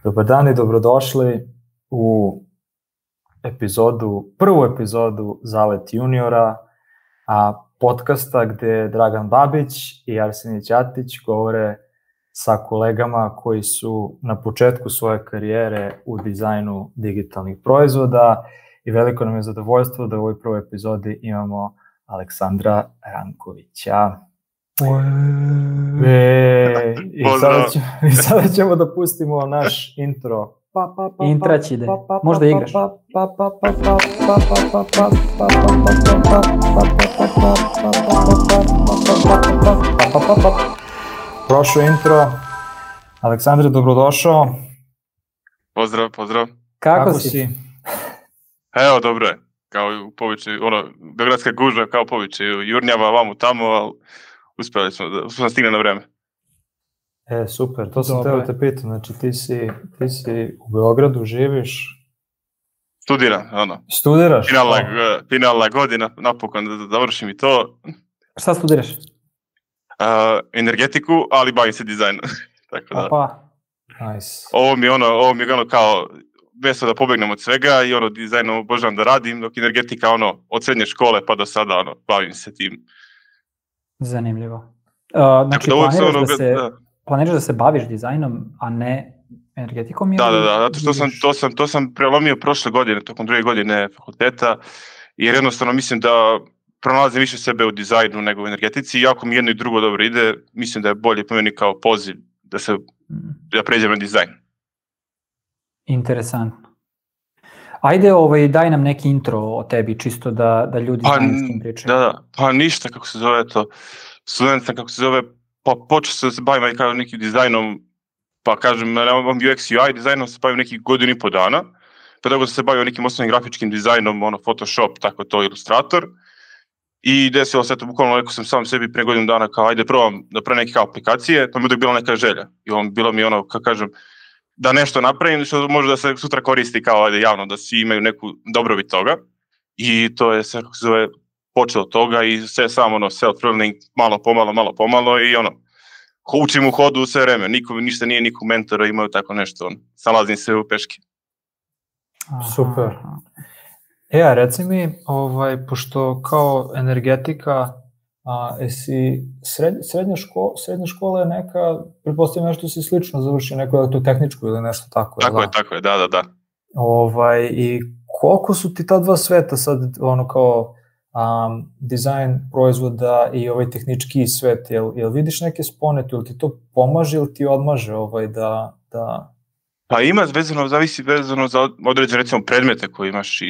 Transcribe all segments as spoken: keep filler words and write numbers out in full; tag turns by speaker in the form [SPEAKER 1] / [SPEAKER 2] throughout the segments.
[SPEAKER 1] Dobar dan i dobrodošli u epizodu, prvu epizodu Zalet juniora, a podcasta gde Dragan Babić i Arsenije Ćatić govore sa kolegama koji su na početku svoje karijere u dizajnu digitalnih proizvoda i veliko nam je zadovoljstvo da u ovoj prvoj epizodi imamo Aleksandra Rankovića. E, i, sada ćemo, I sada ćemo da pustimo naš intro.
[SPEAKER 2] Intrać ide, možda igraš.
[SPEAKER 1] Prošlo intro. Aleksandre, dobrodošao.
[SPEAKER 3] Pozdrav, pozdrav.
[SPEAKER 2] Kako,
[SPEAKER 1] Kako
[SPEAKER 2] si?
[SPEAKER 1] si?
[SPEAKER 3] Evo, dobro je. Kao u povičaju, ono, beogradska gužva kao povičaju, jurnjava vamo tamo, ali uspjeli smo da smo stigne na vreme.
[SPEAKER 1] E, super, to sam
[SPEAKER 2] Dobro
[SPEAKER 1] teo
[SPEAKER 2] je.
[SPEAKER 1] te pitam, znači ti si, ti si u Beogradu, živiš,
[SPEAKER 3] Studiram, ono,
[SPEAKER 1] studiraš?
[SPEAKER 3] finalna,
[SPEAKER 1] O,
[SPEAKER 3] g- finalna godina, napokon da, da završim i to.
[SPEAKER 2] Šta studiraš?
[SPEAKER 3] Uh, energetiku, ali bavim se dizajnom. Tako da,
[SPEAKER 2] Opa,
[SPEAKER 1] nice.
[SPEAKER 3] ovo mi je ono, ovo mi je ono kao, mjesto da pobegnem od svega i ono, dizajnom obožavam da radim, dok energetika, ono, od srednje škole pa do sada, ono, bavim se tim.
[SPEAKER 2] zanimljivo. Uh, znači,
[SPEAKER 3] da uvek se
[SPEAKER 2] planiraš
[SPEAKER 3] ono,
[SPEAKER 2] da se,
[SPEAKER 3] da.
[SPEAKER 2] planiraš da se baviš dizajnom, a ne energetikom?
[SPEAKER 3] Da,
[SPEAKER 2] ili
[SPEAKER 3] da, da, zato što sam,
[SPEAKER 2] vidiš-
[SPEAKER 3] to sam, to sam prelomio prošle godine, tokom druge godine fakulteta, jer jednostavno mislim da pronalazim više sebe u dizajnu nego u energetici, iako mi jedno i drugo dobro ide, mislim da je bolje po meni kao poziv da se,
[SPEAKER 2] Mm,
[SPEAKER 3] da pređem na dizajn.
[SPEAKER 2] interesantno. Ajde, ovaj, daj nam neki intro o tebi, čisto da, da ljudi
[SPEAKER 3] Pa,
[SPEAKER 2] znaju s kim pričaju.
[SPEAKER 3] da, da, pa ništa, kako se zove to, student sam, kako se zove, pa počeo sam se bavim kao nekim dizajnom, pa kažem, ja imam U X U I dizajnom se bavim nekih godinu i po dana, pa tako sam se bavio nekim osnovnim grafičkim dizajnom, ono, Photoshop, tako to, Illustrator, i desilo se to, bukvalno rekao sam sam sebi pre godinu dana kao, ajde probam da pravim neke kao aplikacije, to mi je uvijek bila neka želja, i on, bilo mi ono, kako kažem, da nešto napravim, što može da se sutra koristi kao, ajde, javno, da svi imaju neku dobrobit toga, i to je sve, kako se zove, počelo od toga i sve samo ono self-learning, malo pomalo, malo pomalo i ono, ko- učim u hodu sve vreme, niko, ništa nije nikog mentora imao tako nešto, ono, salazim se u peške.
[SPEAKER 2] Aha,
[SPEAKER 1] Super.
[SPEAKER 2] aha.
[SPEAKER 1] E, a reci mi, ovaj, pošto kao energetika, a, jesi sred, srednja, ško, srednja škola je neka, pretpostavljam nešto si slično završio, neku elektrotehničku ili nešto tako. jel
[SPEAKER 3] Tako je,
[SPEAKER 1] da?
[SPEAKER 3] tako je, da, da, da.
[SPEAKER 1] Ovaj, i koliko su ti ta dva sveta sad, ono kao um, dizajn proizvoda i ovaj tehnički svet, jel, jel vidiš neke spone tu, jel ti to pomaže ili ti odmaže ovaj, da, da...
[SPEAKER 3] Pa ima vezano, zavisi vezano za određene recimo predmete koje imaš i,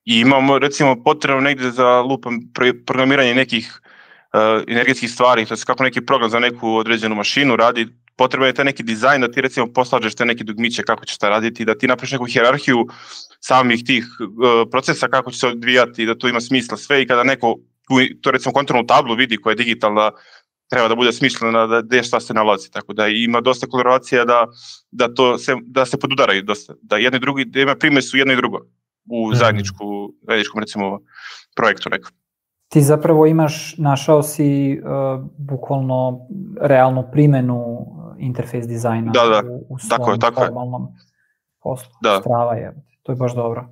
[SPEAKER 3] i imamo recimo potrebno negdje za lupam pro- programiranje nekih uh, energetskih stvari, to je kako neki program za neku određenu mašinu radi, potreban je taj neki dizajn da ti recimo poslažeš te neke dugmiće kako ćeš to raditi, da ti napraviš neku hijerarhiju samih tih uh, procesa kako će se odvijati, da to ima smisla sve i kada neko tu- to recimo kontrolnu tablu vidi koja je digitalna, treba da bude smišljena da gdje šta se nalazi, tako da ima dosta kolaboracija da, da, to se, da se podudaraju dosta, da jedno i drugi, da ima primjesu jedno i drugo u
[SPEAKER 1] Mhm.
[SPEAKER 3] zajedničku, zajedničkom recimo projektu nekom.
[SPEAKER 2] Ti zapravo imaš, našao si uh, bukvalno realnu primenu uh, interfejs dizajna
[SPEAKER 3] Da, da,
[SPEAKER 2] u, u
[SPEAKER 3] tako je,
[SPEAKER 2] svom
[SPEAKER 3] tako je.
[SPEAKER 2] formalnom poslu.
[SPEAKER 3] Da.
[SPEAKER 2] Strava je, to je baš dobro.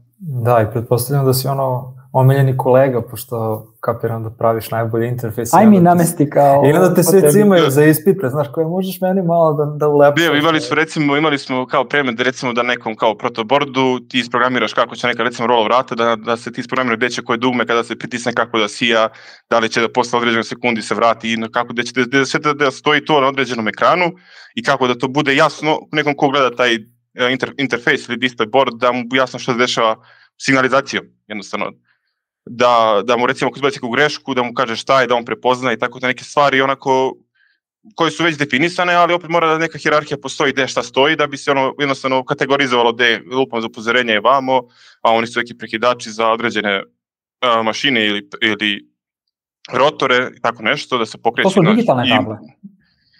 [SPEAKER 1] Da, i pretpostavljam da si ono omiljeni kolega, pošto kapiram da praviš najbolji interfejs. i
[SPEAKER 2] Aj
[SPEAKER 1] onda
[SPEAKER 2] mi
[SPEAKER 1] te-
[SPEAKER 2] namesti kao...
[SPEAKER 1] I onda te
[SPEAKER 2] po
[SPEAKER 1] svi
[SPEAKER 2] tebi.
[SPEAKER 1] cimaju za ispite, znaš, koje možeš meni malo da, da ulepšaš.
[SPEAKER 3] Bio, imali smo recimo, imali smo kao predmet da recimo da nekom kao protobordu ti isprogramiraš kako će neka recimo rola vrata, da, da se ti isprogramira gdje će koje dugme kada se pritisne kako da sija, da li će da posle određenog sekundi se vrati i na kako da će da, da, sve da, da stoji to na određenom ekranu i kako da to bude jasno nekom ko gleda taj e, inter, interfejs ili display board da mu jasno što se dešava signalizacijom jednostavno. Da, da mu recimo ako izbaci neku grešku, da mu kaže šta je, da on prepozna i tako da neke stvari onako koje su već definisane, ali opet mora da neka hijerarhija postoji gde šta stoji, da bi se ono jednostavno kategorizovalo gde lupam za upozorenje je vamo, a oni su neki prekidači za određene a, mašine ili, ili rotore i tako nešto, da se pokreće.
[SPEAKER 2] To su
[SPEAKER 3] znaš,
[SPEAKER 2] digitalne
[SPEAKER 3] i-
[SPEAKER 2] table?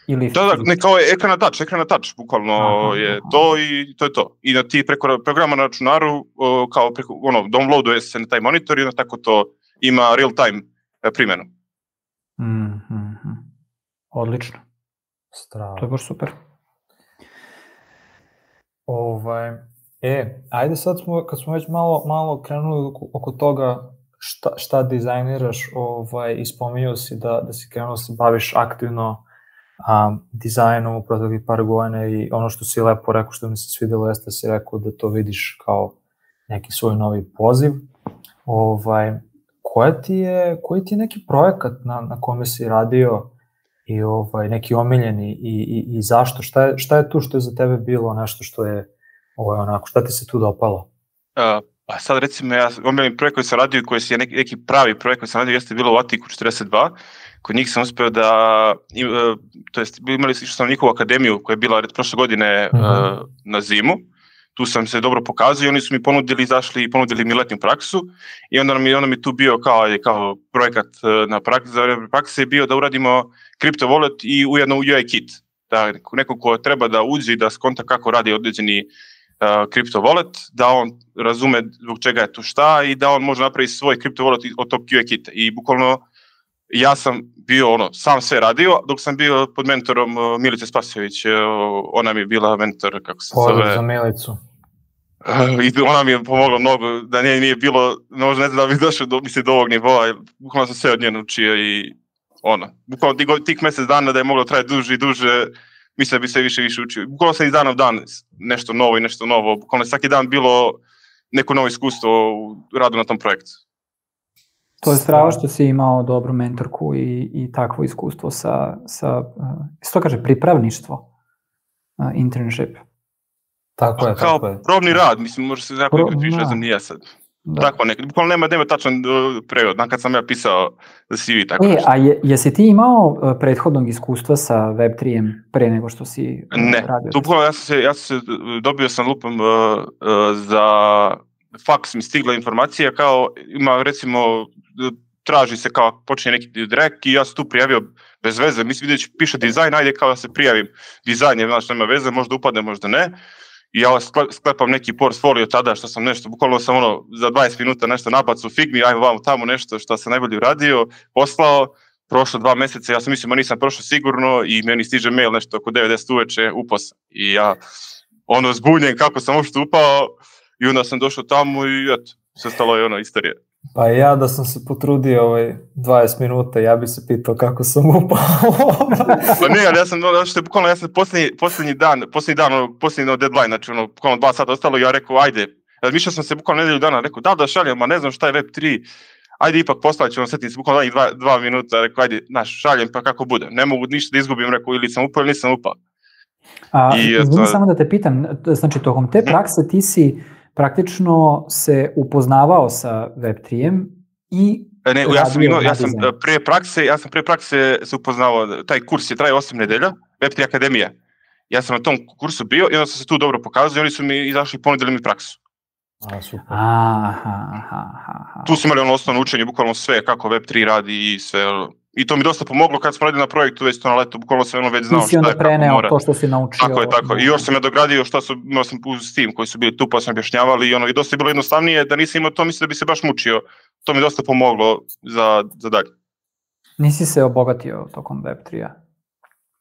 [SPEAKER 2] Ili
[SPEAKER 3] Da, da,
[SPEAKER 2] fizičke?
[SPEAKER 3] ne, kao je ekran na touch, ekran na touch, bukvalno
[SPEAKER 2] Aha,
[SPEAKER 3] je
[SPEAKER 2] aha.
[SPEAKER 3] to i to je to. I da ti preko programa na računaru, o, kao preko, ono, downloaduje se na taj monitor i onda tako to ima real time e, primjenu.
[SPEAKER 2] Mhm, mhm. Odlično,
[SPEAKER 1] Strava.
[SPEAKER 2] to je baš super.
[SPEAKER 1] Ovaj, e, ajde sad smo, kad smo već malo, malo krenuli oko, oko toga šta, šta dizajniraš, ovaj, i spominjao si da, da si krenuo se baviš aktivno a, dizajnom u proteklih par godina i ono što si lepo rekao, što mi se svidelo, jeste da si rekao da to vidiš kao neki svoj novi poziv. Ovaj, koja ti je, koji ti je neki projekat na, na kome si radio i ovaj, neki omiljeni i, i, i zašto? Šta je, šta je tu što je za tebe bilo nešto što je ovaj, onako, šta ti se tu dopalo?
[SPEAKER 3] Uh, pa sad recimo ja omiljeni projekt koji sam radio i koji je neki, neki pravi projekt koji sam radio jeste bilo u Atiku četrdeset dva. Kod njih sam uspeo da, uh, to jest imali što sam njihovu akademiju koja je bila prošle godine uh, uh-huh. na zimu. Tu sam se dobro pokazao i oni su mi ponudili, izašli i ponudili mi letnju praksu i onda mi, onda mi tu bio kao, kao projekat na praksi, za vreme prakse je bio da uradimo crypto wallet i ujedno U I kit. Da neko ko treba da uđe i da skonta kako radi određeni uh, crypto wallet, da on razume zbog čega je tu šta i da on može napraviti svoj crypto wallet od tog U I kita. I bukvalno ja sam bio ono, sam sve radio dok sam bio pod mentorom uh, Milice Spasojević, uh, ona mi je bila mentor, kako se
[SPEAKER 1] Pozdrav
[SPEAKER 3] zove.
[SPEAKER 1] za Milicu.
[SPEAKER 3] Uh, I ona mi je pomogla mnogo, da nije, nije bilo, možda ne znam da bi došao do, mislim, do ovog nivoa, bukvalno sam sve od nje naučio i ono, bukvalno tih, tih mjesec dana da je moglo trajati duže i duže, mislim da bi se više više učio. Bukvalno sam iz dana u dan nešto novo i nešto novo, bukvalno svaki dan bilo neko novo iskustvo u radu na tom projektu.
[SPEAKER 2] To je strava što si imao dobru mentorku i, i takvo iskustvo sa, sa uh, što kaže, pripravništvo, uh, internship.
[SPEAKER 1] Tako je,
[SPEAKER 3] kao
[SPEAKER 1] tako je.
[SPEAKER 3] probni rad, mislim, može se jako nekako piše, ne znam, nije sad. Da. Tako nekako, bukvalno nema, nema tačan uh, prevod, kad sam ja pisao za C V, tako
[SPEAKER 2] e,
[SPEAKER 3] nešto.
[SPEAKER 2] A je, jesi ti imao uh, prethodnog iskustva sa Web tri-em pre nego što si uh,
[SPEAKER 3] ne,
[SPEAKER 2] radio?
[SPEAKER 3] Ne, bukvalno ja sam se, ja sam se, dobio sam lupom uh, uh, za faks mi stigla informacija, kao ima recimo, traži se kao počinje neki direkt i ja sam tu prijavio bez veze, mislim vidjeti piše dizajn, ajde kao da se prijavim dizajn, jer znači nema veze, možda upadne, možda ne. I ja sklepam neki portfolio tada što sam nešto, bukvalno sam ono za dvadeset minuta nešto nabacu u Figmi, ajmo vamo tamo nešto što sam najbolje uradio, poslao, prošlo dva mjeseca, ja sam mislio, ma nisam prošao sigurno i meni stiže mail nešto oko devet deset uveče, upao sam. I ja ono zbunjen kako sam uopšte upao i onda sam došao tamo i eto, sve stalo je ono istorija.
[SPEAKER 1] Pa ja da sam se potrudio ovaj dvadeset minuta, ja bi se pitao kako sam upao.
[SPEAKER 3] Pa ne, ali ja sam, što je bukvalno, ja sam posljednji, posljednji dan, posljednji dan, ono, posljednji no deadline, znači ono, bukvalno dva sata ostalo i ja rekao, ajde, razmišljao sam se bukvalno nedelju dana, rekao, da, da šaljem, ma ne znam šta je Web tri, ajde ipak postavit ću, ono, setim se bukvalno danih dva, dva minuta, rekao, ajde, znaš, šaljem pa kako bude, ne mogu ništa da izgubim, rekao, ili sam upao ili nisam upao.
[SPEAKER 2] A, izvini samo da te pitam, znači, tokom te prakse ti si praktično se upoznavao sa Web tri-em i
[SPEAKER 3] ne, ja sam imao, ja sam pre prakse, ja sam pre prakse se upoznavao, taj kurs je trajao osam nedelja, Web tri Akademija. Ja sam na tom kursu bio i onda sam se tu dobro pokazao i oni su mi izašli i ponudili mi praksu.
[SPEAKER 1] A, super.
[SPEAKER 2] Aha, aha, aha.
[SPEAKER 3] Tu su imali ono osnovno učenje, bukvalno sve, kako Web tri radi i sve. I to mi dosta pomoglo kad smo radili na projektu već to na letu, bukvalno sam ono već znao šta je, kako mora. Ti si onda preneo
[SPEAKER 2] to što si naučio.
[SPEAKER 3] Tako je, tako. I još sam ja dogradio šta su, imao sam uz tim koji su bili tu pa sam objašnjavali i ono, i dosta je bilo jednostavnije da nisam imao to, mislim da bi se baš mučio. To mi dosta pomoglo za, za dalje.
[SPEAKER 2] Nisi se obogatio tokom Web tri-a?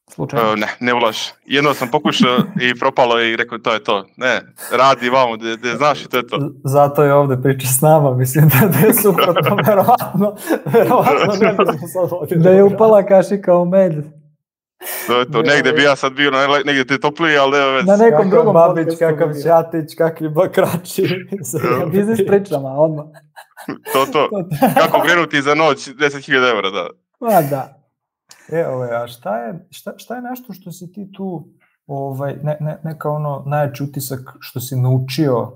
[SPEAKER 2] Slučajno?
[SPEAKER 3] Uh, ne, ne ulaž. Jedno sam pokušao i propalo i rekao to je to. Ne, radi vamo, da znaš i to je to.
[SPEAKER 1] Zato je ovde priča s nama, mislim da je suprotno, verovatno, verovatno ne bismo sad vodili.
[SPEAKER 2] Da je upala kašika u med.
[SPEAKER 3] To je to, negde bi ja sad bio, negde te topliji, ali nema već.
[SPEAKER 2] Na nekom drugom
[SPEAKER 1] Babić, kakav Ćatić, kakvi bakrači.
[SPEAKER 2] Biznis pričama, odmah.
[SPEAKER 3] To, to. Kako krenuti za noć, deset hiljada evra, da.
[SPEAKER 2] Ma da.
[SPEAKER 1] E, ovaj, a šta je, šta, šta je nešto što si ti tu, ovaj, ne, ne, neka ono najjači utisak što si naučio,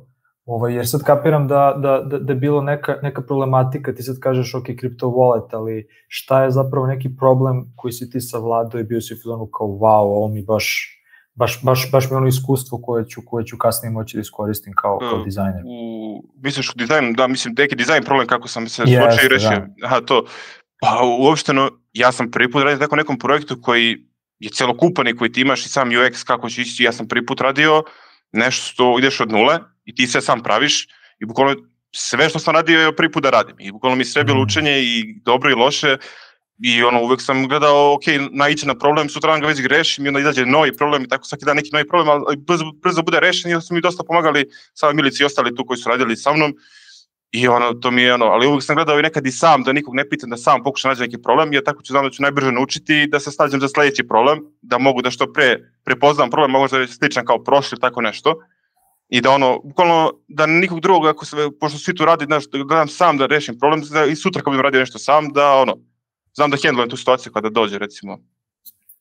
[SPEAKER 1] ovaj, jer sad kapiram da, da, da, da je bilo neka, neka problematika, ti sad kažeš ok, crypto wallet, ali šta je zapravo neki problem koji si ti savladao i bio si u filonu kao wow, ovo mi baš, baš, baš, baš mi ono iskustvo koje ću, koje ću kasnije moći da iskoristim kao, kao dizajner.
[SPEAKER 3] U, misliš u dizajnu, da, mislim, neki dizajn problem kako sam se slučio i rešio. Aha, to. Pa uopšteno, ja sam prvi put radio tako nekom projektu koji je celokupan i koji ti imaš i sam U X kako će ići, ja sam prvi put radio nešto što ideš od nule i ti sve sam praviš i bukvalno sve što sam radio je prvi put da radim i bukvalno mi sve bilo učenje i dobro i loše I ono, uvek sam gledao, ok, naići na problem, sutra ga već grešim i onda izađe novi problem i tako svaki dan neki novi problem, ali brzo, brzo bude rešen i su mi dosta pomagali sami Milici i ostali tu koji su radili sa mnom. I ono, to mi je ono, ali uvek sam gledao i nekad i sam, da nikog ne pitam, da sam pokušam naći neki problem, jer tako ću znam da ću najbrže naučiti da se snađem za sledeći problem, da mogu da što pre prepoznam problem, možda je sličan kao prošli, tako nešto. I da ono, bukvalno, da nikog drugog, ako se, pošto svi tu radi, znaš, da gledam sam da rešim problem, da i sutra kad budem radio nešto sam, da ono, znam da handlujem tu situaciju kada dođe, recimo.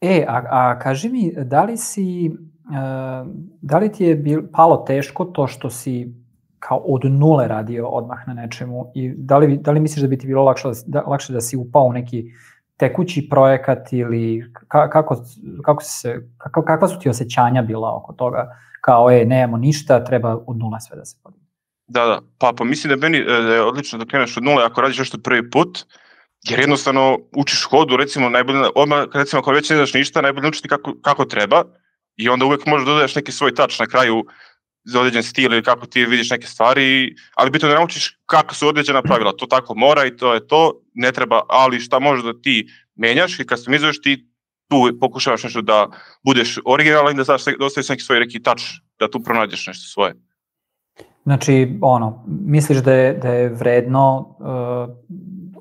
[SPEAKER 2] E, a, a kaži mi, da li si, uh, da li ti je bil, palo teško to što si kao od nule radio odmah na nečemu i da li, da li misliš da bi ti bilo lakše da, lakše da si upao u neki tekući projekat ili ka, kako, kako se, kako, kakva su ti osjećanja bila oko toga, kao e, nemamo ništa, treba od nula sve da se podigne?
[SPEAKER 3] Da, da, pa, pa mislim da meni je odlično da kreneš od nule ako radiš nešto prvi put, jer jednostavno učiš hodu, recimo, najbolje, odmah, recimo, ako već ne znaš ništa, najbolje učiti kako, kako treba i onda uvek možeš da dodaš neki svoj touch na kraju za određen stil ili kako ti vidiš neke stvari, ali bitno da naučiš kako su određena pravila, to tako mora i to je to, ne treba, ali šta možeš da ti menjaš i customizuješ ti, tu pokušavaš nešto da budeš originalan i da, da ostaviš neki svoj neki touch, da tu pronađeš nešto svoje.
[SPEAKER 2] Znači, ono, misliš da je, da je vredno uh,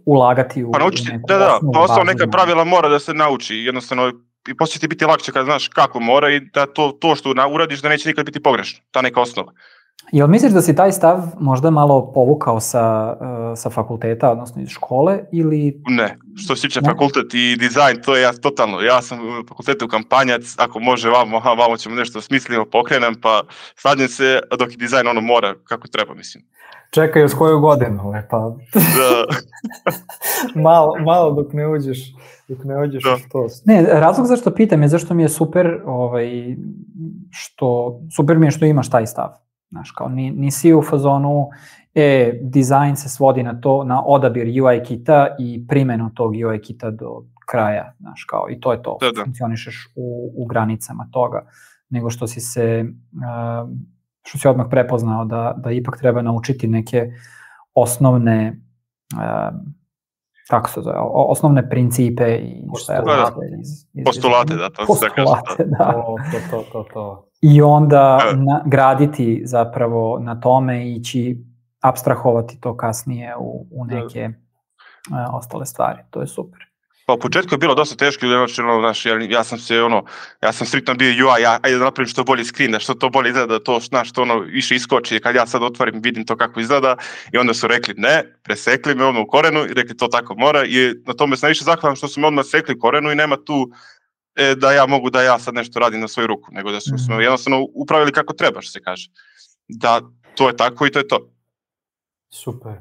[SPEAKER 2] ulagati u,
[SPEAKER 3] pa naučiti,
[SPEAKER 2] u neku
[SPEAKER 3] da, da,
[SPEAKER 2] osnovu
[SPEAKER 3] pa ostalo
[SPEAKER 2] bazu,
[SPEAKER 3] neka pravila mora da se nauči, jednostavno i poslije ti biti lakše kad znaš kako mora i da to, to što uradiš da neće nikad biti pogrešno, ta neka osnova.
[SPEAKER 2] Jel misliš da si taj stav možda malo povukao sa, uh, sa fakulteta, odnosno iz škole, ili...
[SPEAKER 3] Ne, što se tiče fakultet i dizajn, to je ja totalno, ja sam u fakultetu kampanjac, ako može vamo, aha, vamo ćemo nešto smislimo, pokrenem, pa slađem se, dok i dizajn ono mora kako treba, mislim.
[SPEAKER 1] Čekaj još koju godinu, e, pa...
[SPEAKER 3] Da.
[SPEAKER 1] malo, malo dok ne uđeš, dok ne uđeš da. Što...
[SPEAKER 2] Ne, razlog zašto pitam je zašto mi je super, ovaj, što, super mi je što imaš taj stav. Znaš, kao nisi u fazonu, e, dizajn se svodi na to, na odabir U I kita i primjenu tog U I kita do kraja, znaš, kao, i to je to, da, da. Funkcionišeš u, u granicama toga, nego što si se, uh, što si odmah prepoznao da, da ipak treba naučiti neke osnovne, uh, kako se zove, osnovne principe i šta je
[SPEAKER 3] iz, iz, postulate, da, to
[SPEAKER 2] postulate,
[SPEAKER 3] se
[SPEAKER 2] da.
[SPEAKER 1] To, to, to, to.
[SPEAKER 2] I onda na, graditi zapravo na tome i ići apstrahovati to kasnije u, u neke uh, ostale stvari. To je super.
[SPEAKER 3] Pa u početku je bilo dosta teško, znaš, ja, ja sam se ono, ja sam striktno bio U I, ja, ajde da napravim što bolji screen, da što to bolje izgleda, to znaš, što ono više iskoči, kad ja sad otvorim, vidim to kako izgleda i onda su rekli ne, presekli me ono u korenu i rekli to tako mora i na tome sam više zahvalan što su me odmah sekli korenu i nema tu e, da ja mogu da ja sad nešto radim na svoju ruku, nego da su mm-hmm. me jednostavno upravili kako treba, što se kaže. Da, to je tako i to je to.
[SPEAKER 1] Super.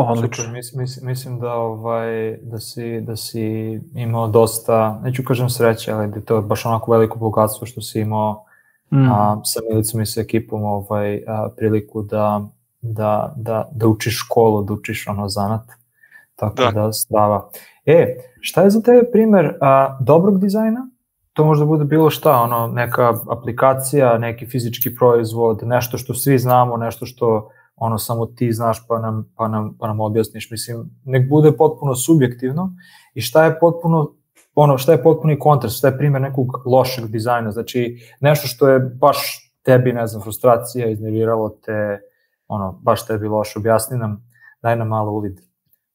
[SPEAKER 2] Odlično.
[SPEAKER 1] Super, mis, mis, mislim da ovaj da si da si imao dosta, neću kažem sreće, ali da to je baš onako veliko bogatstvo što si imao mm. a, sa Milicom i sa ekipom ovaj a, priliku da da da da učiš školu, da učiš ono zanat. Tako da, da strava. E, šta je za tebe primer a, dobrog dizajna? To može da bude bilo šta, ono neka aplikacija, neki fizički proizvod, nešto što svi znamo, nešto što ono samo ti znaš pa nam, pa nam, pa nam objasniš, mislim, nek bude potpuno subjektivno i šta je potpuno, ono, šta je potpuni kontrast, šta je primjer nekog lošeg dizajna, znači nešto što je baš tebi, ne znam, frustracija, iznerviralo te, ono, baš tebi loše, objasni nam, daj nam malo uvid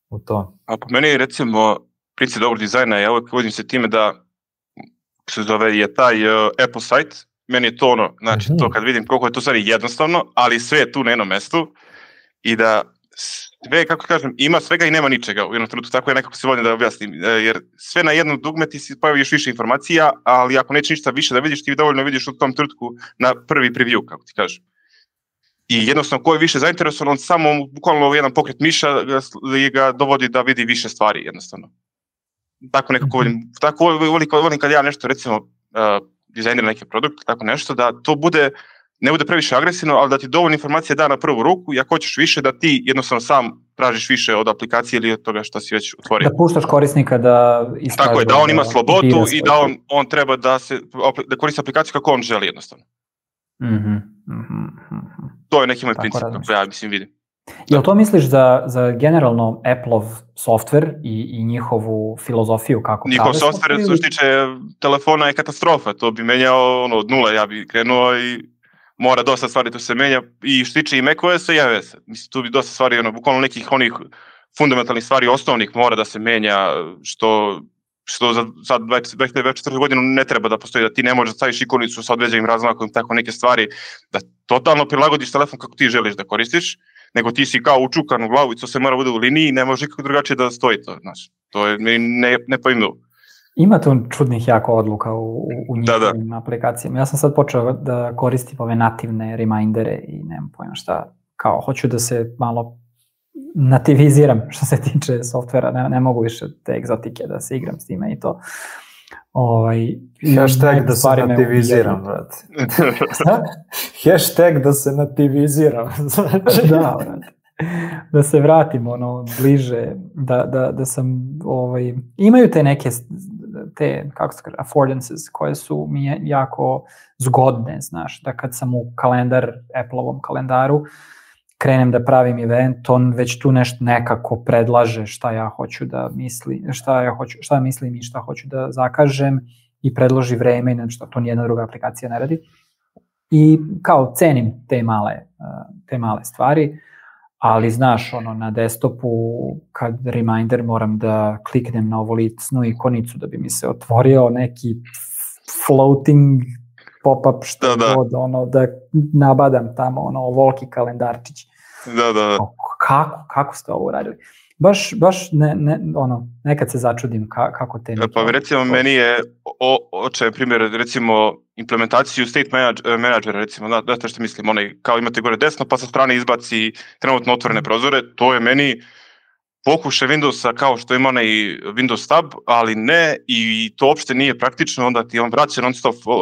[SPEAKER 1] u to.
[SPEAKER 3] A po meni, recimo, princip dobrog dizajna, ja uvijek vodim se time da se zove je taj uh, Apple site. Meni je to ono, znači mm-hmm. to kad vidim koliko je to stvari jednostavno, ali sve je tu na jednom mestu i da sve, kako kažem, ima svega i nema ničega u jednom trenutku, tako je nekako se volim da objasnim, jer sve na jednom dugme ti si pojavi još više informacija, ali ako neće ništa više da vidiš, ti dovoljno vidiš u tom trenutku na prvi preview, kako ti kažem. I jednostavno ko je više zainteresovan, on samo bukvalno jedan pokret miša ga, ga dovodi da vidi više stvari jednostavno. Tako nekako volim, tako volim, volim kad ja nešto recimo uh, dizajnira neki produkt, tako nešto, da to bude, ne bude previše agresivno, ali da ti dovoljno informacije da na prvu ruku i ako hoćeš više, da ti jednostavno sam tražiš više od aplikacije ili od toga što si već otvorio.
[SPEAKER 2] Da puštaš korisnika da iskaže.
[SPEAKER 3] Tako je, da on ima slobodu i da on, on treba da, se, da koristi aplikaciju kako on želi jednostavno.
[SPEAKER 2] Mm-hmm. Mm-hmm.
[SPEAKER 3] To je neki moj princip, kako ja mislim vidim.
[SPEAKER 2] Jel to misliš za, za generalno Apple-ov software i, i njihovu filozofiju kako
[SPEAKER 3] Njihov
[SPEAKER 2] prave
[SPEAKER 3] software, što se tiče telefona, je katastrofa. To bi menjao ono, od nule, ja bi krenuo i mora dosta stvari tu se menja. I što se tiče i macOS-a i iOS-a. Mislim, tu bi dosta stvari, ono, bukvalno nekih onih fundamentalnih stvari, osnovnih mora da se menja, što, što za sad dvadeset četvrtu godinu ne treba da postoji, da ti ne možeš da staviš ikonicu sa određenim razmakom, tako neke stvari, da totalno prilagodiš telefon kako ti želiš da koristiš, nego ti si kao učukan u glavu i to se mora bude u liniji, ne može nikako drugačije da stoji to, znaš. To je ne, nepojmljivo.
[SPEAKER 2] Ima tu čudnih jako odluka u, u njihovim
[SPEAKER 3] da, da.
[SPEAKER 2] aplikacijama. Ja sam sad počeo da koristim ove nativne remindere i nemam pojma šta, kao hoću da se malo nativiziram što se tiče softvera, ne, ne mogu više te egzotike da se igram s time i to. Ovaj,
[SPEAKER 1] hashtag da se nativiziram, brate. Hashtag da se nativiziram.
[SPEAKER 2] Da, brate. Da se vratim ono bliže, da, da, da sam, ovaj, imaju te neke, te, kako se kaže, affordances koje su mi jako zgodne, znaš, da kad sam u kalendar, Apple-ovom kalendaru, krenem da pravim event, on već tu nešto nekako predlaže šta ja hoću da misli, šta ja hoću, šta mislim i šta hoću da zakažem i predloži vreme i nešto, to nijedna druga aplikacija ne radi. I kao cenim te male, te male stvari, ali znaš, ono, na desktopu kad reminder moram da kliknem na ovu licnu ikonicu da bi mi se otvorio neki floating pop-up što
[SPEAKER 3] da, da.
[SPEAKER 2] god, ono, da nabadam tamo, ono, volki kalendarčić.
[SPEAKER 3] Da, da, da.
[SPEAKER 2] Kako, kako ste ovo uradili? Baš, baš ne, ne, ono, nekad se začudim ka, kako te...
[SPEAKER 3] Pa recimo, meni je očaj primjer, recimo, implementaciju state managera, recimo, da, da što mislim, onaj, kao imate gore desno, pa sa strane izbaci trenutno otvorene prozore, to je meni pokušaj Windowsa kao što ima onaj Windows tab, ali ne, i to uopšte nije praktično, onda ti on vraća non-stop uh,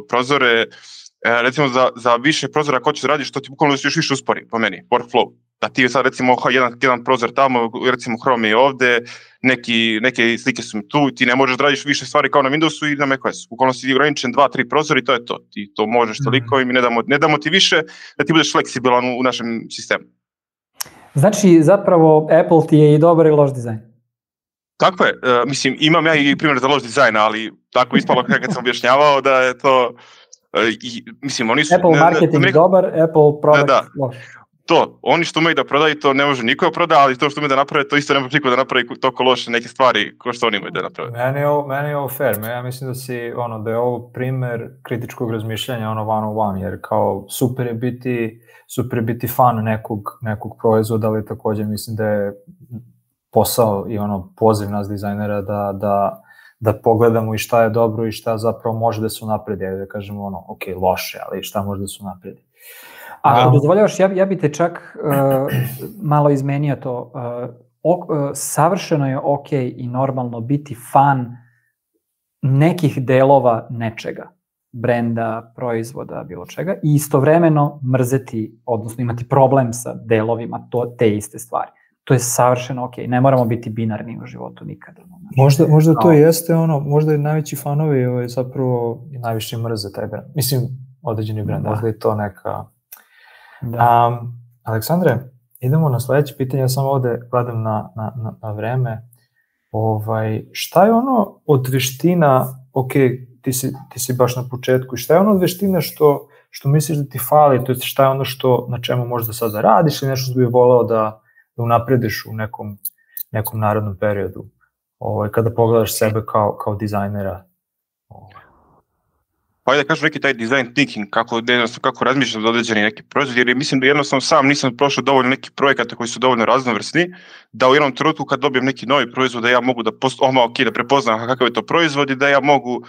[SPEAKER 3] prozore, uh, recimo za, za više prozora ako hoćeš da radiš, to ti bukvalno još više uspori, po meni, workflow. Da ti sad recimo jedan, jedan prozor tamo, recimo Chrome je ovde, neki, neke slike su mi tu, ti ne možeš da radiš više stvari kao na Windowsu i na macOS. Bukvalno si ograničen dva, tri prozora i to je to. Ti to možeš toliko i mi ne damo, ne damo ti više da ti budeš fleksibilan u, u našem sistemu.
[SPEAKER 2] Znači, zapravo Apple ti je i dobar i loš dizajn.
[SPEAKER 3] Tako je. Uh, mislim, imam ja i primjer za loš dizajn, ali tako ispalo kad sam objašnjavao da je to... Uh, i, mislim, oni su...
[SPEAKER 2] Apple marketing ne, ne, dobar, Apple product
[SPEAKER 3] da, da.
[SPEAKER 2] loš.
[SPEAKER 3] To, oni što umeju da prodaju, to ne može niko da proda, ali to što umeju da naprave, to isto ne može niko da napravi toliko loše neke stvari ko što oni imaju da naprave.
[SPEAKER 1] Meni je ovo, meni je ovo fair, ja mislim da si, ono, da je ovo primer kritičkog razmišljanja, ono, one on one, jer kao super je biti, super je biti fan nekog, nekog proizvoda, ali takođe mislim da je posao i ono, poziv nas dizajnera da, da, da pogledamo i šta je dobro i šta zapravo može da se unapredi, da kažemo, ono, ok, loše, ali šta može da se unapredi.
[SPEAKER 2] Ako dozvoljavaš, ja, ja bi te čak uh, malo izmenio to. Uh, ok, uh, savršeno je ok i normalno biti fan nekih delova nečega, brenda, proizvoda, bilo čega, i istovremeno mrzeti, odnosno imati problem sa delovima to, te iste stvari. To je savršeno ok. Ne moramo biti binarni u životu nikada.
[SPEAKER 1] Možda, možda to jeste ono, možda i najveći fanovi ovaj, zapravo i najviše mrze taj brend. Mislim, određeni brend, da. Možda je to neka... Da. Um, Aleksandre, idemo na sledeće pitanje, ja samo ovde gledam na, na, na, na vreme. Ovaj, šta je ono od veština, ok, ti si, ti si baš na početku, šta je ono od veština što, što misliš da ti fali, to je šta je ono što, na čemu možda sad da radiš ili nešto što bi voleo da, da unaprediš u nekom, nekom narodnom periodu, ovaj, kada pogledaš sebe kao, kao dizajnera?
[SPEAKER 3] Pa ajde da kažem neki taj design thinking, kako, kako razmišljam za određeni neki proizvod, jer mislim da jednostavno sam nisam prošao dovoljno nekih projekata koji su dovoljno raznovrsni, da u jednom trenutku kad dobijem neki novi proizvod, da ja mogu da, post, oma, okay, da prepoznam kakav je to proizvod i da ja mogu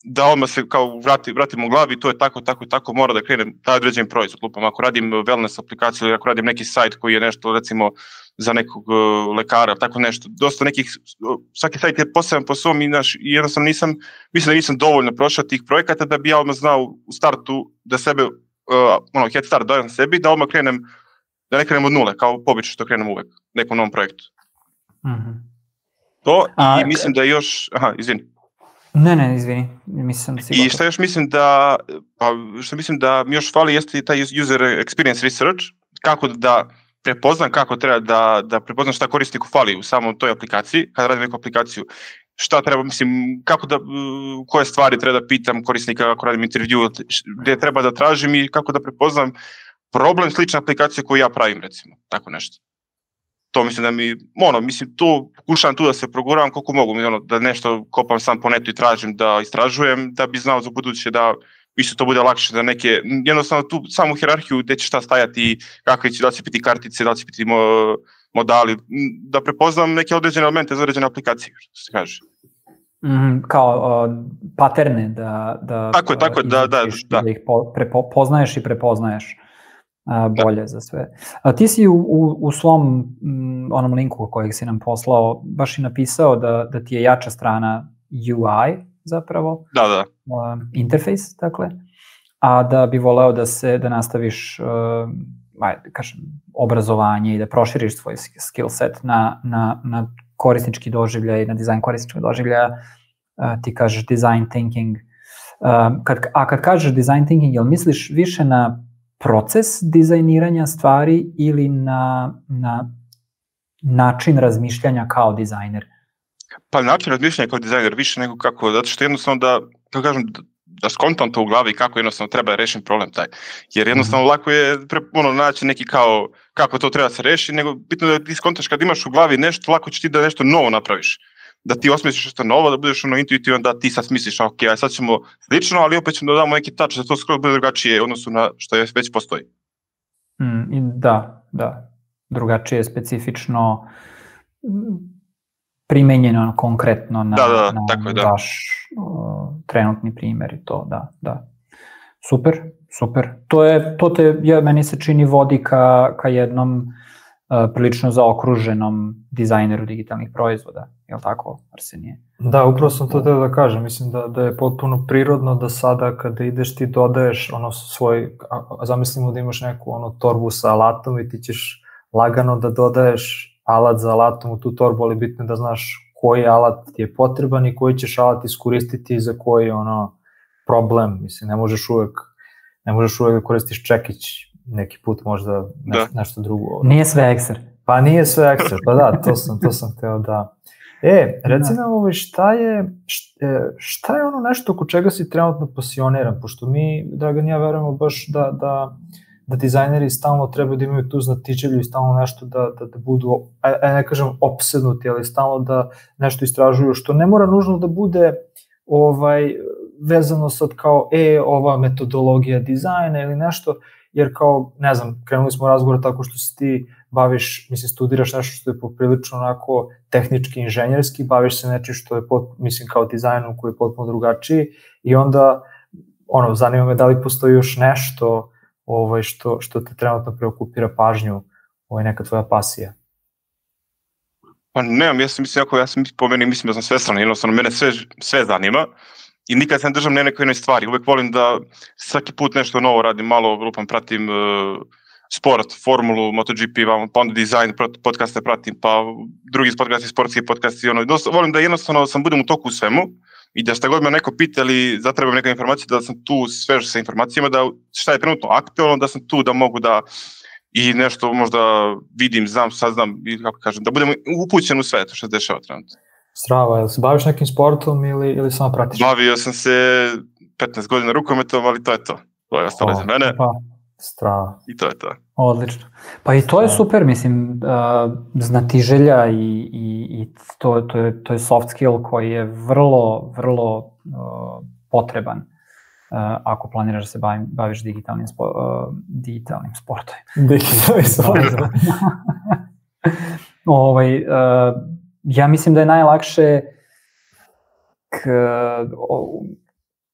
[SPEAKER 3] da odmah se kao vrati, vratim u glavi, to je tako, tako i tako, mora da krenem taj određen proizvod. Lupam, ako radim wellness aplikaciju ili ako radim neki sajt koji je nešto, recimo, za nekog uh, lekara, tako nešto, dosta nekih, svaki sajt je poseban po svom i, naš, i jednostavno nisam, mislim da nisam dovoljno prošao tih projekata da bi ja odmah znao u startu da sebe, uh, ono, head start dajem sebi, da odmah krenem, da ne krenem od nule, kao pobično što krenem uvek, nekom novom projektu.
[SPEAKER 2] Mm-hmm.
[SPEAKER 3] To, A, i mislim da još, aha, izvini.
[SPEAKER 2] Ne, ne, izvini, mislim da si
[SPEAKER 3] I šta još mislim da, pa što mislim da mi još fali jeste taj user experience research, kako da prepoznam kako treba da, da prepoznam šta korisniku fali u samom toj aplikaciji, kada radim neku aplikaciju, šta treba, mislim, kako da, koje stvari treba da pitam korisnika ako radim intervju, gdje treba da tražim i kako da prepoznam problem slične aplikacije koju ja pravim, recimo, tako nešto. To mislim da mi, ono, mislim, tu pokušavam tu da se proguravam koliko mogu, ono, da nešto kopam sam po netu i tražim da istražujem, da bi znao za buduće da isto to bude lakše, da neke, jednostavno tu samu hierarhiju gdje će šta stajati, kakve će, da će biti kartice, da će biti mo, modali, da prepoznam neke određene elemente za određene aplikacije, što se kaže.
[SPEAKER 2] Mm, kao uh, paterne da, da,
[SPEAKER 3] tako je, tako je, da, da, da.
[SPEAKER 2] da ih po, prepoznaješ i prepoznaješ uh, bolje da. Za sve. A ti si u, u, u svom m, onom linku kojeg si nam poslao baš i napisao da, da ti je jača strana U I zapravo,
[SPEAKER 3] da, da.
[SPEAKER 2] Uh, interface, dakle, a da bi voleo da se, da nastaviš uh, ajde, kažem, obrazovanje i da proširiš svoj skill set na, na, na korisnički doživljaj, na dizajn korisničkog doživljaja, uh, ti kažeš design thinking. Uh, kad, a kad kažeš design thinking, jel misliš više na proces dizajniranja stvari ili na, na način razmišljanja kao dizajner?
[SPEAKER 3] Pa način razmišljanja kao dizajner više nego kako, zato što jednostavno da, kako kažem, da, da skontam to u glavi kako jednostavno treba rešiti problem taj. Jer jednostavno mm-hmm. lako je pre, ono, naći neki kao kako to treba se rešiti, nego bitno da ti skontaš kad imaš u glavi nešto, lako će ti da nešto novo napraviš. Da ti osmisliš nešto novo, da budeš ono intuitivan, da ti sad smisliš, ok, aj sad ćemo slično, ali opet ćemo da damo neki touch, da to skoro bude drugačije u odnosu na što je već postoji.
[SPEAKER 2] Mm, da, da. Drugačije, specifično, primenjeno konkretno na,
[SPEAKER 3] da, da,
[SPEAKER 2] na
[SPEAKER 3] tako je, da.
[SPEAKER 2] vaš uh, trenutni primjer i to, da, da. Super, super. To je, to te, ja, meni se čini vodi ka, ka jednom uh, prilično zaokruženom dizajneru digitalnih proizvoda, je li tako, Arsenije?
[SPEAKER 1] Da, upravo sam to teo da kažem, mislim da, da je potpuno prirodno da sada kada ideš ti dodaješ ono svoj, a zamislimo da imaš neku ono torbu sa alatom i ti ćeš lagano da dodaješ alat za alatom u tu torbu, ali bitno je da znaš koji alat ti je potreban i koji ćeš alat iskoristiti za koji ono problem, mislim, ne možeš uvek ne možeš uvek da koristiš čekić neki put možda nešto, da. nešto drugo.
[SPEAKER 2] Nije sve ekser.
[SPEAKER 1] Pa nije sve ekser, pa da, to sam, to sam teo da... E, reci nam ovo, šta je, šta je ono nešto oko čega si trenutno pasioniran, pošto mi, Dragan, ja verujemo baš da, da, da dizajneri stalno trebaju da imaju tu znatiželju i stalno nešto da, da, da budu, a ne kažem opsednuti, ali stalno da nešto istražuju, što ne mora nužno da bude ovaj, vezano sad kao, e, ova metodologija dizajna ili nešto, jer kao, ne znam, krenuli smo razgovor tako što se ti baviš, mislim, studiraš nešto što je poprilično onako tehnički, inženjerski, baviš se nečim što je, pot, mislim, kao dizajnom koji je potpuno drugačiji i onda, ono, zanima me da li postoji još nešto ovaj, što, što te trenutno preokupira pažnju, ovaj, neka tvoja pasija.
[SPEAKER 3] Pa nemam, ja sam mislim, ako ja sam po meni, mislim da sam svestan, jednostavno, mene sve, sve zanima. I nikad se ne držam na nekoj jednoj stvari. Uvek volim da svaki put nešto novo radim, malo lupam, pratim uh, sport, formulu, MotoGP, pa onda dizajn, podcaste pratim, pa drugi podcasti, sportski podcasti. Ono. Volim da jednostavno sam budem u toku u svemu i da šta god me neko pita ili zatrebam neka informacija, da sam tu svež sa informacijama, da šta je trenutno aktualno, da sam tu da mogu da i nešto možda vidim, znam, saznam, i kako kažem, da budem upućen u sve to što se dešava trenutno.
[SPEAKER 1] Strava, jel se baviš nekim sportom ili, ili samo pratiš?
[SPEAKER 3] Bavio sam se petnaest godina rukometom, ali to je to. To je ostalo za mene.
[SPEAKER 1] Pa, strava.
[SPEAKER 3] I to je to.
[SPEAKER 2] Odlično. Pa i to je super, mislim, uh, znatiželja i, i, i to, to, je, to je soft skill koji je vrlo, vrlo uh, potreban uh, ako planiraš da se bavim, baviš digitalnim, spo, uh, digitalnim sportom.
[SPEAKER 1] Digitalnim sportom.
[SPEAKER 2] ovaj, uh, Ja mislim da je najlakše k, o,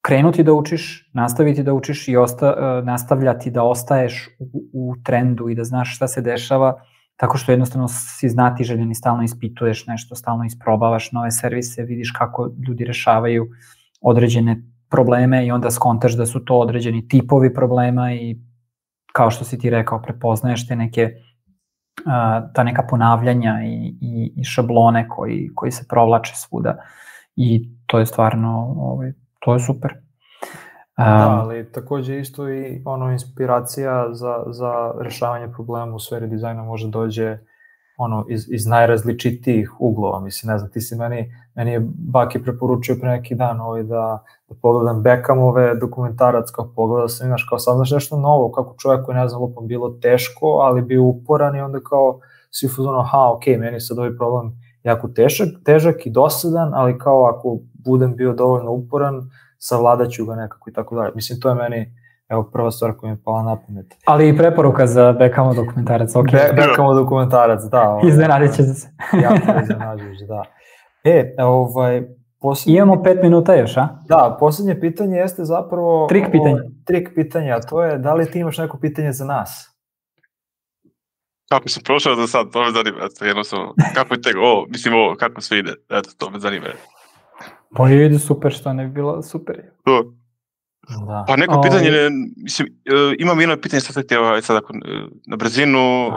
[SPEAKER 2] krenuti da učiš, nastaviti da učiš i osta, nastavljati da ostaješ u, u trendu i da znaš šta se dešava, tako što jednostavno si znatiželjan i stalno ispituješ nešto, stalno isprobavaš nove servise, vidiš kako ljudi rešavaju određene probleme i onda skontaš da su to određeni tipovi problema i kao što si ti rekao, prepoznaješ te neke ta neka ponavljanja i, i, i šablone koji, koji se provlače svuda i to je stvarno, ovaj, to je super.
[SPEAKER 1] Um, da, ali takođe isto i ono inspiracija za, za rešavanje problema u sferi dizajna može dođe ono iz, iz najrazličitijih uglova. Mislim, ne znam, ti si meni, meni je Baki preporučio pre neki dan ovaj da, da pogledam Beckhamove dokumentarac, kao pogledao sam, znaš, kao sam znaš nešto novo, kako čovjek koji, ne znam, lupom bilo teško, ali bio uporan i onda kao svi fuzonu, aha, ok, meni sad ovaj problem jako težak, težak i dosadan, ali kao ako budem bio dovoljno uporan, savladaću ga nekako i tako dalje. Mislim, to je meni, evo, prva stvar koja mi je pala na pamet.
[SPEAKER 2] Ali i preporuka za Beckhamov dokumentarac, ok.
[SPEAKER 1] Be, Beckhamov dokumentarac, da. Ovaj,
[SPEAKER 2] Iznenadit će se.
[SPEAKER 1] jako iznenađujuć, da. E, ovaj, posljednje...
[SPEAKER 2] Imamo pet minuta još, a?
[SPEAKER 1] Da, posljednje pitanje jeste zapravo...
[SPEAKER 2] Trik pitanje.
[SPEAKER 1] Ovaj, trik pitanja, a to je da li ti imaš neko pitanje za nas?
[SPEAKER 3] Kako sam prošao za sad, to me zanima, eto, jednostavno, kako je tego, o, mislim ovo, kako sve ide, eto, to me zanima.
[SPEAKER 2] Pa ide super, što ne bi bilo super.
[SPEAKER 3] To.
[SPEAKER 1] Da.
[SPEAKER 3] Pa neko pitanje, ne, mislim, imam jedno pitanje, sad htio, sad ako, na brzinu, uh,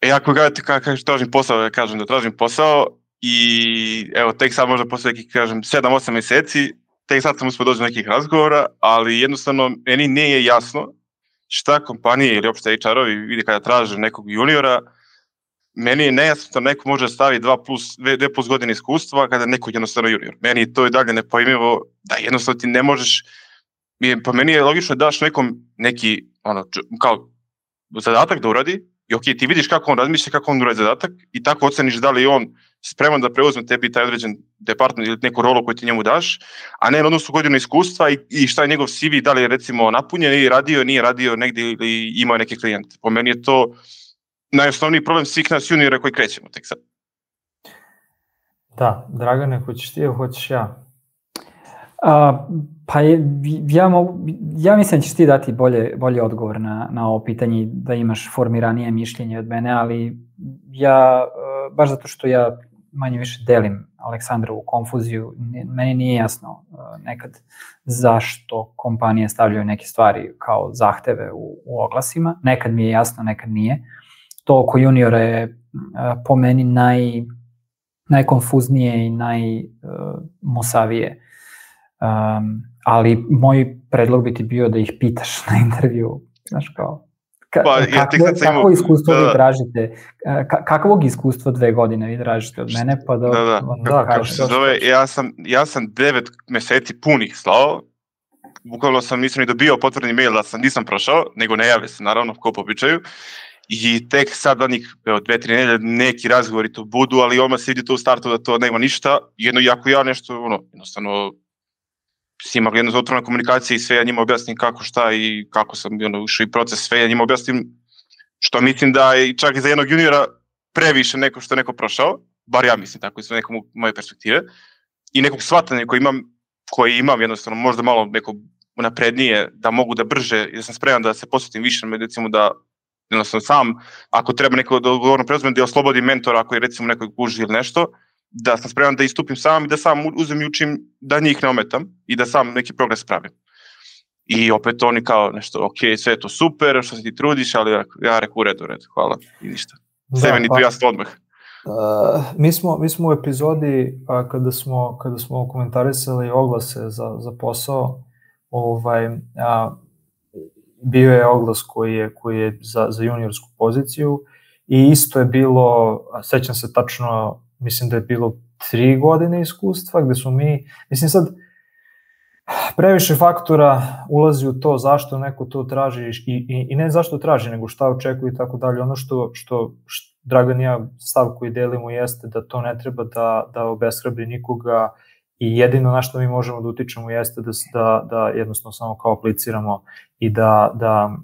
[SPEAKER 3] e, ako gledate kako ka, tražim posao, ja kažem da tražim posao i evo, tek sad možda posle nekih, kažem, sedam osam mjeseci, tek sad sam uspio doći do nekih razgovora, ali jednostavno, meni nije jasno šta kompanije ili opšte H R-ovi vidi kada traže nekog juniora, meni je nejasno da neko može staviti dva plus, dve plus godine iskustva kada neko jednostavno junior. Meni je to i dalje nepojmljivo da jednostavno ti ne možeš, pa meni je logično da daš nekom neki, ono, kao zadatak da uradi i ok, ti vidiš kako on razmišlja, kako on uradi zadatak i tako oceniš da li je on spreman da preuzme tebi taj određen department ili neku rolu koju ti njemu daš, a ne odnosno godinu iskustva i, i šta je njegov C V, da li je recimo napunjen ili radio, nije radio negdje ili imao neke klijente. Po meni je to najosnovniji problem svih nas juniora koji krećemo tek sad.
[SPEAKER 1] Da, Dragane, hoćeš ti ili hoćeš ja?
[SPEAKER 2] Uh, pa je, ja, mogu, ja mislim da ćeš ti dati bolje, bolje odgovor na, na ovo pitanje, da imaš formiranije mišljenje od mene, ali ja, uh, baš zato što ja manje više delim Aleksandrovu konfuziju, meni nije jasno uh, nekad zašto kompanije stavljaju neke stvari kao zahteve u, u oglasima, nekad mi je jasno, nekad nije. To oko juniora je uh, po meni naj, najkonfuznije i najmusavije. Um, ali moj predlog bi ti bio da ih pitaš na intervju, znaš kao, ka,
[SPEAKER 3] pa, ja
[SPEAKER 2] kakvo, kakvo iskustvo da, vi tražite, ka, kakvog iskustva dve godine vi tražite od mene, pa da...
[SPEAKER 3] Da, da, da kako se zove, ja sam, ja sam devet meseci punih slao, bukvalno sam nisam ni dobio potvrdni mail da sam nisam prošao, nego ne jave se naravno, ko po običaju, i tek sad danih, evo, dve, tri nedelje, neki razgovori to budu, ali odmah se vidi to u startu da to nema ništa, jedno, jako ja nešto, ono, jednostavno, s njima jedno otvorena komunikacija i sve, ja njima objasnim kako, šta i kako sam ono, ušao i proces, sve, ja njima objasnim što mislim da je čak i za jednog juniora previše neko što je neko prošao, bar ja mislim tako iz nekom moje perspektive, i nekog shvatanja koji imam, koji imam jednostavno možda malo neko naprednije, da mogu da brže, da sam spreman da se posvetim više, recimo da jednostavno sam, ako treba neko da odgovorno preuzmem, da oslobodim mentora ako je recimo nekoj guži ili nešto, da sam spreman da istupim sam i da sam uzem i učim da njih ne ometam i da sam neki progres pravim. I opet oni kao nešto, ok, sve je to super, što se ti trudiš, ali ja, ja reku u redu, u redu, hvala i ništa. Sve meni tu jasno odmah.
[SPEAKER 1] Uh, mi, smo, mi smo u epizodi uh, kada, smo, kada smo komentarisali oglase za, za posao, ovaj, uh, bio je oglas koji je, koji je za, za juniorsku poziciju i isto je bilo, sećam se tačno, mislim da je bilo tri godine iskustva, gde smo mi, mislim sad, previše faktora ulazi u to zašto neko to traži i, i, i ne zašto traži, nego šta očekuje i tako dalje. Ono što, što, što Dragan i ja stav koji delimo jeste da to ne treba da, da obeshrabri nikoga i jedino na što mi možemo da utičemo jeste da, da, da jednostavno samo kao apliciramo i da, da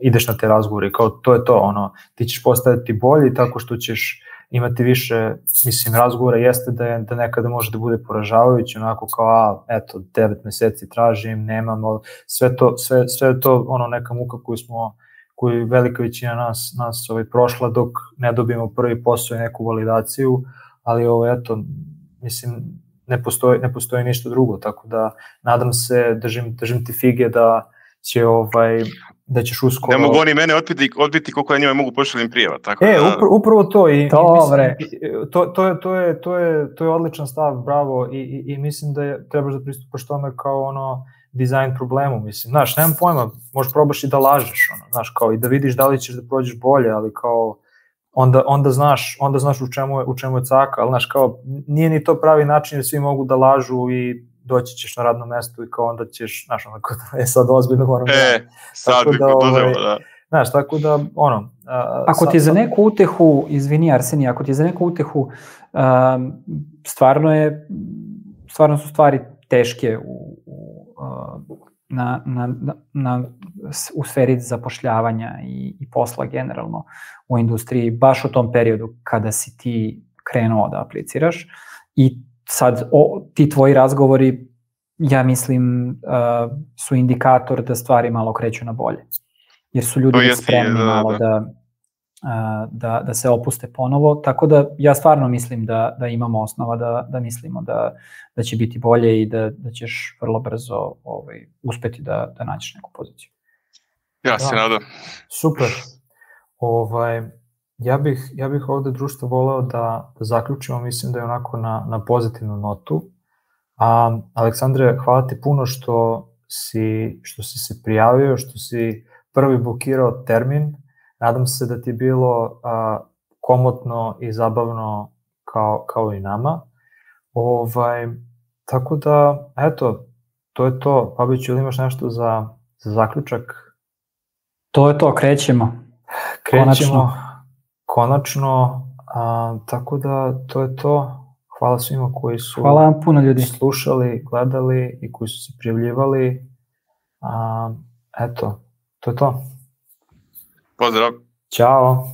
[SPEAKER 1] ideš na te razgovore. Kao to je to, ono, ti ćeš postaviti bolji tako što ćeš imati više, mislim, razgovora jeste da, je, da nekada može da bude poražavajući, onako kao, a, eto, devet meseci tražim, nemam, sve to, sve, sve to, ono, neka muka koju smo, koju velika većina nas, nas ovaj, prošla dok ne dobijemo prvi posao i neku validaciju, ali ovo, eto, mislim, ne postoji, ne postoji ništa drugo, tako da nadam se, držim, držim ti fige da će, ovaj, da ćeš uskoro...
[SPEAKER 3] Ne mogu oni mene odbiti, odbiti koliko ja njima mogu pošaljem prijeva, tako
[SPEAKER 1] e,
[SPEAKER 3] da...
[SPEAKER 1] Upr- upravo to i,
[SPEAKER 2] Dobre.
[SPEAKER 1] i mislim, to, to, je, to, je, to, je, to je odličan stav, bravo, i, i, i mislim da je, trebaš da pristupaš tome kao ono, dizajn problemu, mislim, znaš, nemam pojma, možeš probaš i da lažeš, ono, znaš, kao i da vidiš da li ćeš da prođeš bolje, ali kao, onda, onda znaš, onda znaš u čemu je, u čemu je caka, ali znaš, kao, nije ni to pravi način jer svi mogu da lažu i doći ćeš na radno mesto i kao onda ćeš, znaš, onako, je sad ozbiljno moram
[SPEAKER 3] e,
[SPEAKER 1] da...
[SPEAKER 3] sad bi
[SPEAKER 1] da,
[SPEAKER 3] poduzelo, da.
[SPEAKER 1] Znaš, tako da, ono...
[SPEAKER 2] A, ako ti je za neku utehu, izvini Arsenije, ako ti je za neku utehu, um, stvarno je, stvarno su stvari teške u, u, uh, na, na, na, u sferi zapošljavanja i, i posla generalno u industriji, baš u tom periodu kada si ti krenuo da apliciraš i sad o, ti tvoji razgovori, ja mislim, uh, su indikator da stvari malo kreću na bolje. Jer su ljudi
[SPEAKER 3] jesi,
[SPEAKER 2] spremni
[SPEAKER 3] da,
[SPEAKER 2] malo
[SPEAKER 3] da.
[SPEAKER 2] Da, da, da se opuste ponovo, tako da ja stvarno mislim da, da imamo osnova da, da mislimo da, da će biti bolje i da, da ćeš vrlo brzo ovaj, uspeti da, da nađeš neku poziciju.
[SPEAKER 3] Ja se nadam.
[SPEAKER 1] Super. Ovaj, ja, bih, ja bih ovde društvo voleo da, da zaključimo, mislim da je onako na, na pozitivnu notu. A, Aleksandre, hvala ti puno što si, što si se prijavio, što si prvi bukirao termin. Nadam se da ti je bilo a, komotno i zabavno kao, kao i nama. Ovaj, tako da, eto, to je to. Babiću, ili imaš nešto za, za zaključak?
[SPEAKER 2] To je to, krećemo.
[SPEAKER 1] Krećemo,
[SPEAKER 2] konačno.
[SPEAKER 1] konačno a, tako da, to je to. Hvala svima koji su
[SPEAKER 2] Hvala vam puno, ljudi.
[SPEAKER 1] slušali, gledali i koji su se prijavljivali. A, eto, to je to.
[SPEAKER 3] Pozdrav.
[SPEAKER 1] Ćao.